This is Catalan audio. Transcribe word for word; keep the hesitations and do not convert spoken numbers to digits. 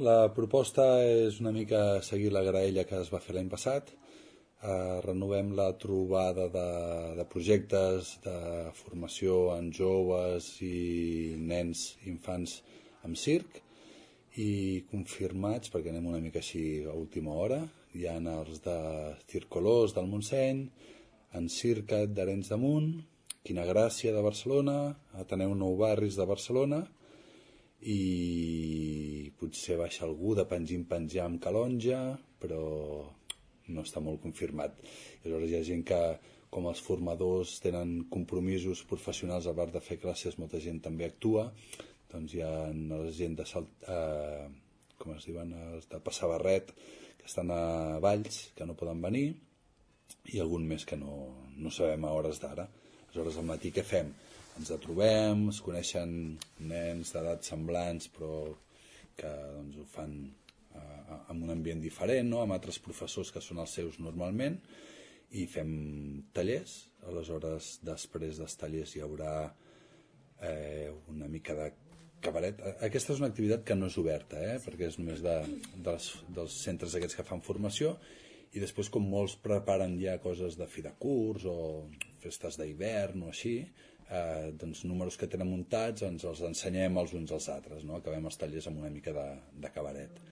La proposta és una mica seguir la graella que es va fer l'any passat. Eh, renovem la trobada de, de projectes de formació en joves i nens i infants amb circ i confirmats, perquè anem una mica així a última hora. Hi ha els de Circolors del Montseny, en Circat d'Arenys de Munt, Quina Gràcia de Barcelona, Ateneu Nou Barris de Barcelona i potser baixa algú de Pengim Penjam Calonja, però no està molt confirmat. I aleshores hi ha gent que, com els formadors tenen compromisos professionals a part de fer classes, molta gent també actua, doncs hi ha la gent de Salt, eh, com es diuen, els de Passar Barret, que estan a Valls, que no poden venir, i algun més que no, no sabem a hores d'ara. Aleshores, al matí què fem? Ens trobem, es coneixen nens d'edats semblants, però que doncs, ho fan eh, en un ambient diferent, no? Amb altres professors que són els seus normalment, i fem tallers. Aleshores, després dels tallers hi haurà eh, una mica de cabaret. Aquesta és una activitat que no és oberta, eh? Perquè és només de, dels, dels centres aquests que fan formació, i després, com molts preparen ja coses de fi de curs o festes d'hivern o així, eh, doncs números que tenen muntats ens els ensenyem els uns als altres, no? Acabem els tallers amb una mica de, de cabaret.